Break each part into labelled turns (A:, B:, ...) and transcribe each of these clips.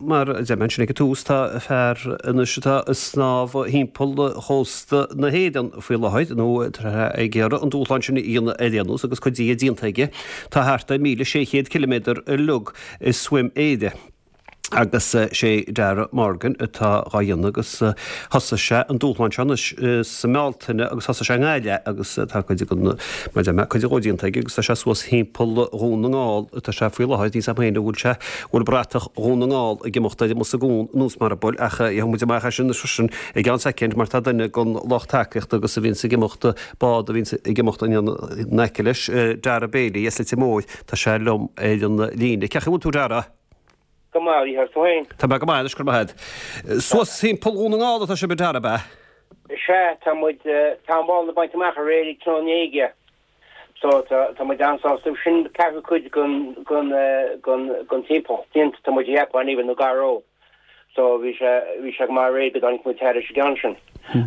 A: Mar a deir mé ansin ag an tús, tá fear anois atá ag snámh thimpeall chósta na hÉireann faoi láthair, nó tá sé ag iarraidh an dúshlán sin a dhéanamh ar aon nós agus cuid de déanta aige. Tá thart ar 1,600 ciliméadar uilig i Swim Éire. Agus sé Dara Morgan atá dhá dhéanamh agus thosaigh sé an dúshlán seo anois sa mBealtaine agus thosaigh sé i nGaillimh agus tá cuid den, mar a deir mé, cuid dhó déanta aige agus tá sé suas thimpeall Dhún na nGall atá sé faoi láthair. Níl 's agam féin an bhfuil sé, bhfuil bratach Dhún na nGall ag imeacht ar amas i gcuan anuas mar a bhfuil ach gheobhaidh muid amach é sin anois freisin i gceann soicind mar tá duine den lucht tacaíochta agus a bhíonns ag imeacht, bád a bhíonns ag imeacht in aice leis, Dara Bailey as Leitir Móir, tá sé liom ar an líne. Cén chaoi a bhfuil tú Dara?
B: Go maith, a Mhícheáil, tú féin?
A: Tá mé go maith anois, go raibh maith agat. Suas thimpeall Dhún na nGall atá sibh a Dara, ab ea?
B: Sea, tá muid, tá an Mhálainn bainte amach aréir ag Trá na hÉige. So, tá, tá muid an-sásta. Sin ceathrú cuid den, den, den, den timpeallacht déanta, tá muid a cheapadh, anyway, nó gar dó. So, bhí sé, bhí sé go maith aréir go dtáinig muid thairis an gceann sin.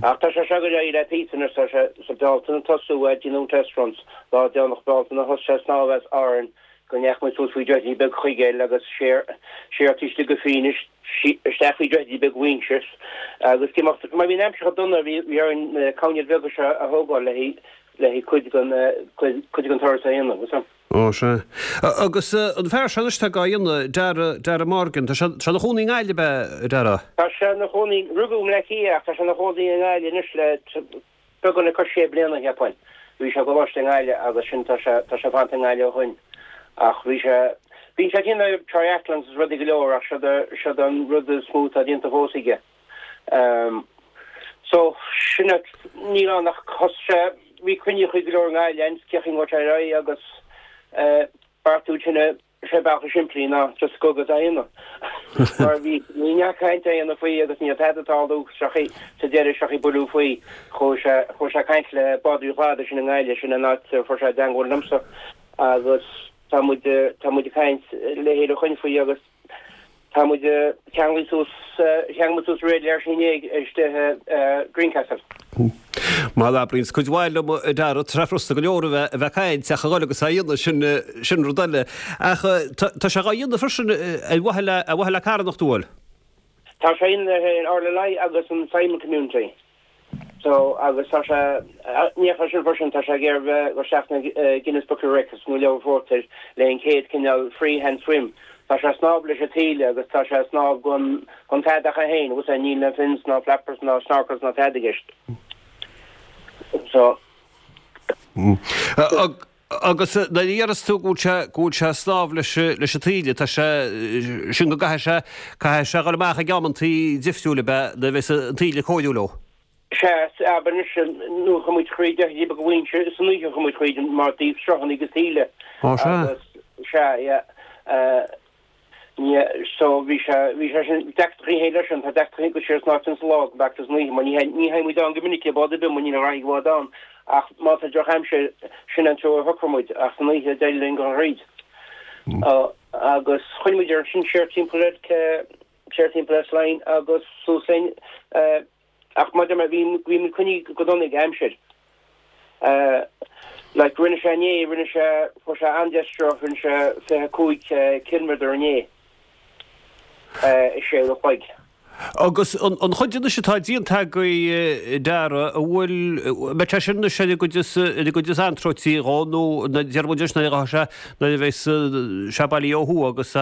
B: Ach tá sé seo ag dul ar aghaidh le píosa anois, tá sé sa Bealtaine ag tosú ag déanamh test runs, lá deireanach Bealtaine thosaigh sé ag snámh as Árainn go ndeachaigh muid suas faoi Droichead Beag Chuigéil agus siar, siar taobh istigh go Fínis, isteach faoi Droichead Beag Mhaínse agus ag imeacht, mar bhí an aimsir chomh dona, bhí, bhí orainn na coirnéil bheaga seo a thógáil le haghaidh, le haghaidh cuid den, cuid, cuid den turas a dhéanamh, is ea.
A: Ó, sea. Agus an fear seo anois atá dhá dhéanamh, Dara, Dara Morgan, tá sé, tá sé ina chónaí i nGaillimh, ab ea, a Dara?
B: Tá sé ina chónaí, rugadh i mBleá Cliath ach tá sé ina chónaí i nGaillimh anois le Beagán le cois sé bliana, cheapfainn. Bhí sé i gcoláiste i nGaillimh agus sin tá sé, tá sé fanta i nGaillimh ó shoin. Ach bhí sé, bíonn sé ag déanamh triathlons is rudaí go leor ach seod é, seod é an rud is mó atá déanta fós aige. Ehm so sin é, níl ann ach thosaigh sé, bhí cruinníochaí go leor i nGaillimh ann, cén chaoi a ngabhfaidh sé ar aghaidh agus eh beartú sin a, Sé bealach is simplí ná just gabh agus é a dhéanamh. Mar bhí ní neart cainte á dhéanamh faoi agus ní raibh tada ag tarlú seachas sa deireadh seachas bualadh faoi. Chuaigh sé chuaigh sé ag caint le Bádóirí an Chladaigh sin i nGaillimh, sin an áit a fuair sé i dteangmháil liomsa agus tá muid tá muid ag caint le chéile ó shoin faoi agus tá muid ceanglaithe suas cheangail muid suas aréir leis inné istigh i Greencastle.
A: Mar a abraíonns cuid mhaith liom a Dara, tá sé furasta go leor a bheith ag caint ach a dhul agus á dhéanamh, sin, sin rud eile. Ach tá sé dhá dhéanamh freisin ar mhaithe le, ar mhaithe le carthanacht, an bhfuil?
B: Tá sé in RLI agus an Simon Community. So, agus tá sé, ní ach sin freisin, tá sé ag iarraidh bheith go isteach na Guinness Book of Records nó Leabhar Phórtair le an chéad cineál freehand swim. Tá sé ag snámh leis an taoille agus tá sé ag snámh gan, gan tada ach é féin, agus níl na fins ná flappers ná snorkels ná tada i gceist. So.
A: Agus nuair a deireas tú go bhfuil sé, go bhfuil sé ag snámh leis, leis an taoille, tá sé, sin go gcaithfidh sé, caithfidh sé a dhul amach ag amantaí difriúil ab ea, nuair a bheas an taoille cóiriúil dó?
B: Sea, abair anois, nuair a chuaigh muid thríd Droichead Beag Mhaínse, san oíche a chuaigh muid thríd mar taobh sruthanna agus taoille.
A: Ó sea.
B: Agus, sea, yeah. So bhí sé, bhí sé sin, deacrachtaí féin leis sin, tá deacrachtaí go siar sna áiteanna sa lá go b'fhearr san oíche mar ní ní théann muid ann go minic le bád ar bith mar níl a dhath ag bád ann ach má tá drochaimsir sin an treo a shocraigh muid ach san oíche d'éirigh linn dul thríd. Agus chuaigh muid ar sin siar timpeall ar siar timpeall ar Slane agus suas linn Ach maidir le, bhí, bhí muid coinnithe go dona ag aimsir. Like, rinne sé inné, rinne sé, fuair sé an-deis-sruth, rinne sé 25 ciliméadar inné i sé uair a chloig.
A: Agus an, an chuid anois atá déanta agaibh a Dara, an bhfuil, an mbeidh sé sin anois ar an gcuid is, ar an gcuid is antroití dhó nó deir muid anois nuair a ghabhfaidh sé, nuair a bheas sé bailithe ó thuaidh agus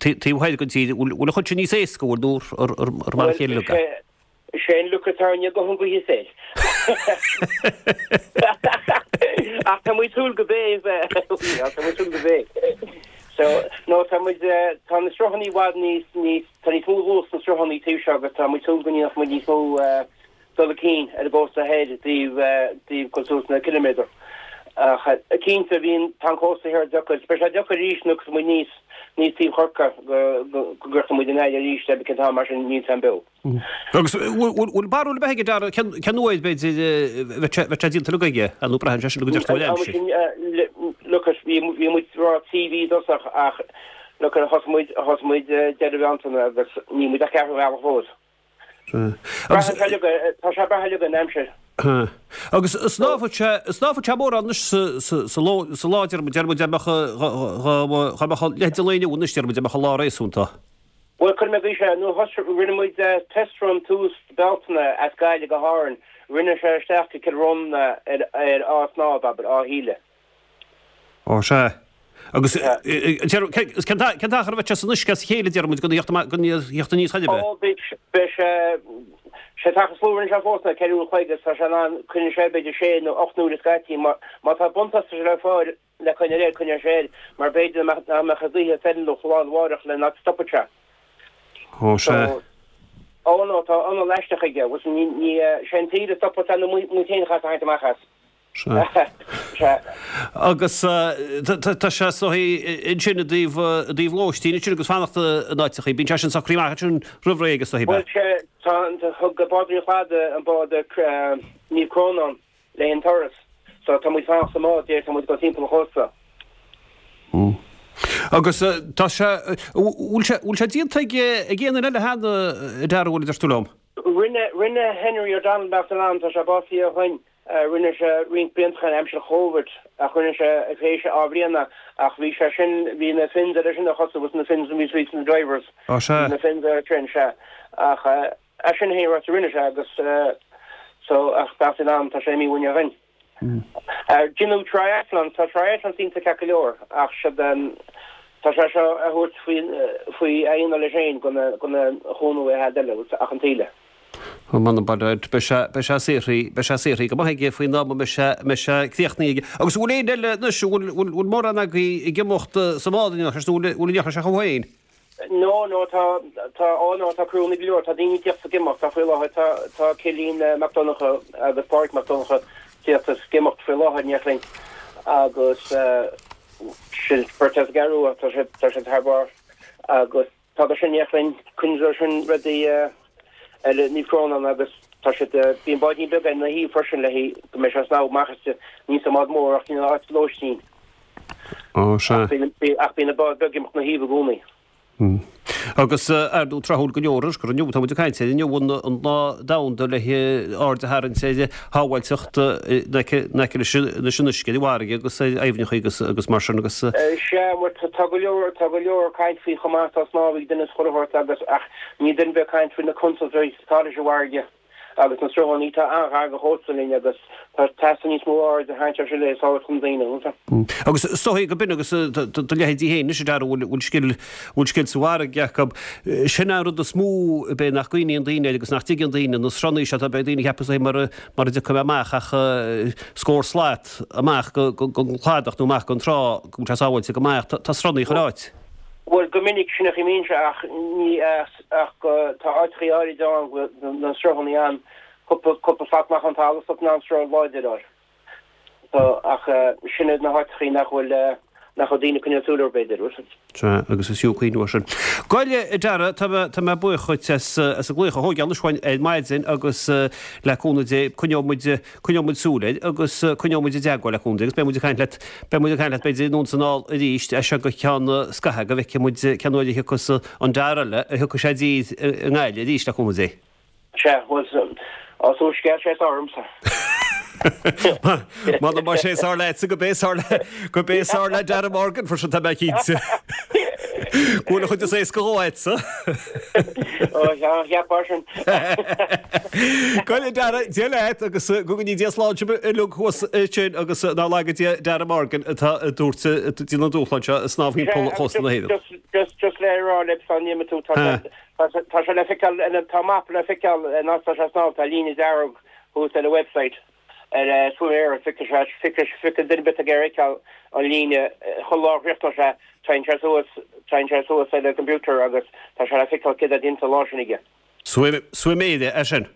A: taobh thoir den tír, bhfuil an chuid sin níos éasca, bhfuil, nó ar mar a chéile
B: uilig é? Is é an luck atá orainne guth an ghaoth soir. Ach tá muid súil go b'é, tá muid súil go b'é. So, no, tá muid, tá na sruthanna i bhfad níos, níos, tá níos mó luas sna sruthanna taobh seo agus tá muid súil go ndéanfadh muid níos mó dul chun cinn ar an gcósta thoir i dtaobh, dtaobh cur suas na ciliméadar. Ach cinnte, bhíonn, tá an cósta thiar deacair. Beidh sé deacair arís nuair a muid níos, níos taobh Chorca go, go, go gcrochfaidh muid i nGaillimh arís le cén t-am mar sin níl san beo.
A: Agus bhfuil barúil ar bith aige Dara, cén, cén uair b'fhéidir a bheidh sé, bheidh sé déanta uilig aige, nó braitheann sé sin go dteacht ó aimsir?
B: Look, bhí, bhí muid ag rá 3 mhí i dtosach ach look, thosaigh muid, thosaigh muid deireadh Bhealtaine agus níl muid ach ceathrú bealaigh fós. Braitheann sé uilig, tá sé ag brath uilig ar an aimsir.
A: Agus snámhfaidh sé, snámhfaidh sé mórán anois sa ló, sa lá, deir muid, deir muid, dá mbeadh, dá mbeadh leithéid an lae inniu anois, deir muid, dá mbeadh an lá réasúnta.
B: Bhuel, cuirfidh mé go sé, nuair a thosaigh, rinne muid test run tús Bealtaine as Gaillimh go hÁrainn, rinne sé isteach go Cill Rónáin ar á shnámh, abair, á thaoille.
A: Ó, sea. Agus cén t-achar a bheidh sé san uisce as a chéile, déarfaidh muid, gan a theacht aníos chor ar bith?
B: Ó, beidh sé, sé an t-achar is lú a rinne sé fós ná 4 uair an chloig agus tá sé in ann, coinneoidh sé b'fhéidir sé nó ocht n-uaire scaití, má tá buntáiste le fáil, le coinneáil air, coinneoidh sé air, mar b'fhéidir nach mbeadh an ghaoth feiliúnach lá arna mhárach le nach stopfadh sé.
A: Ó, sea.
B: So, ó no, tá anal aisteach aige, agus ní, ní, sé an taoille a stopfas é nó muid féin a chaithfeas a tharraingt amach as.
A: Sea.
B: Sea.
A: Agus tá sé is dóichí ansin i dtaobh, i dtaobh lóistín ansin agus fanacht in áiteachaí, bíonn sé sin socraithe amach ansin roimh ré agus is dóichí,
B: Bhuel, sé, tá, thug Bádóirí an Chladaigh an bád Naomh Crónán le haghaidh an turas. So tá muid fanacht sa mbád déarfaidh tá muid ag dul timpeall an chósta.
A: Agus tá sé, bhfuil sé, bhfuil sé déanta ag, ag aon duine eile cheana, a Dara, bhfuil, a deir tú liom?
B: Rinne, rinne Henry O'Donnell beannacht Dé lena anam, tá sé básaithe ó shoin, rinne sé roinnt blianta ó shoin aimsir Chóvid ach rinne sé tar éis dhá bhliana ach bhí sé sin, bhí na fins air sin a chosa, was na fins bhí sweets na divers.
A: Ó sea.
B: Bhí na fins air sin, sea. Ach É sin é an rud a rinne sé agus so ach beannacht Dé lena anam tá sé imithe uainn ó shoin. Déanadh triathlon, tá triathlons iontach ceart go leor ach siad tá sé seo a thabhairt faoi faoi a aonar leis féin gan gan aon chúnamh ó aon eile ach an taoille.
A: Ó m'anam beidh sé beidh sé saothraithe beidh sé saothraithe go maith aige faoin am a mbeidh sé mbeidh sé críochnaithe aige. Agus an bhfuil éinne eile anois an bhfuil bhfuil mórán agaibh ag imeacht sa mbád anois nó bhfuil bhfuil an ndéarfaidh sé chucu féin?
B: No, no, tá, tá, ó no, tá criúnna go leor, tá daoine ag tíocht is ag imeacht, tá faoi láthair, tá, tá Cillian Mac Donncha agus Pádraig Mac Donncha ag tíocht is ag imeacht faoi láthair, ní linn, agus sin beirt as an gCeathrú Rua, tá siad, tá siad thar barr, agus tá sin ní linn, coinneoidh sin rudaí eile Naomh Crónán agus tá siad, bíonn báidín beag ina thaobh freisin le haghaidh go mbeidh sé ag snámh amach as, ní sa mbád mór ach níl áit lóistín.
A: Ó, sea.
B: Ach bíonn an bád beag ag imeacht 'na thaobh i gcónaí.
A: Agus, ar ndóigh, tráthúil go leor, anois gur inniu atá muid ag caint air, inniu an lá domhanda le aird a tharraingt ar shábháilteacht in aice leis an uisce, ar an bhfarraige agus ar aibhneacha agus agus mar sin agus.
B: Sea, bhuel, tá go leor, tá go leor caint faoi chomh maith, tá snámh ag duine is chuile shórt agus, ach níl duine ar bith ag caint faoi na contúirtí atá leis an bhfarraige. Agus na sruthanna atá an-ghar don chósta linn agus tá teastaíonn níos mó aird a tharraingt air sin le sábháilteacht na ndaoine.
A: Agus is dóigh go b'in agus do leithéidí féin anois a Dara a bhfuil scil bhfuil scil sa bhfarraige acu. Sin an rud is mó ab é nach gcuimhníonn daoine air agus nach dtuigeann daoine, na sruthanna seo tá beidh daoine ag ceapadh is dóigh mura mura dtiocfaidh mé amach ach scór slat amach gon chladach nó amach gon trá go bhfuil sé sábháilte go maith ach tá sruthanna chuile áit.
B: Bhuel go minic sin a chuimhníonn sé ach ní ach go tá áiteachaí áirid ann go bhfuil na sruthannaí ann cúpla cúpla slat amach ón talamh so in ann sruth láidir air. So ach sin iad na háiteachaí nach bhfuil nach bhfuil daoine ag coinneáil súil orthu b'fhéidir.
A: Sea, agus is fiú cuimhniú air sin. Bhuel, a Dara, tá mé tá mé buíoch dhuit as as an glaoch a thógáil anois uainn ar maidin agus le cúnamh Dé coinneoidh muid coinneoidh muid súil air agus coinneoidh muid i dteagmháil le cúnamh Dé agus beidh muid ag caint leat beidh muid ag caint leat b'fhéidir anonn is anall arís as seo go ceann scaithimh go bhfeicfidh muid cén uair a thiocfas an Dara eile a thiocfaidh sé i dtír i nGaillimh arís le cúnamh Dé.
B: Sea, bhuel, á so scéal sé is ormsa.
A: M'anam má sé is fearr leatsa go b'é is fearr le go b'é is fearr le Dara Morgan freisin tá mé cinnte. Go bhfuil an chuid is éasca dhó agatsa.
B: Ó, cheapfá sin.
A: Bhuel a Dara, Dia leat agus go gcoinní Dia slán sibh uilig thuas ansin agus ná laga Dia Dara Morgan atá ag tabhairt an dúshlán seo ag snámh thimpeall chósta na hÉireann.
B: Just just le rá libh sula n-imíonn tú tá sé tá sé le feiceáil tá mapa le feiceáil an áit tá sé ag snámh tá líne dearg thuas ar an website ar Swim Éire feicfidh sé feicfidh feicfidh duine ar bith ag iarraidh feiceáil an líne chuile lá a chríochnóidh sé téann sé suas téann sé suas ar an computer agus tá sé le feiceáil céard atá déanta an lá sin aige.
A: Swim Swim Éire é sin.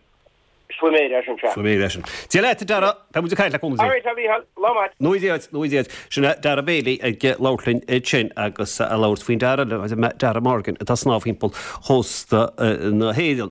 B: Swim Éire é sin, sea.
A: Swim Éire é sin. Dia leat, a Dara. Beidh muid ag caint le cúnamh Dé.
B: Alright, a Mhícheáil. Lá maith.
A: Nó Dia duit, nó Dia duit. Sin é Dara Bailey ag labhairt linn ansin agus ag labhairt faoin Dara, Dara Morgan atá ag snámh thimpeall chósta na hÉireann.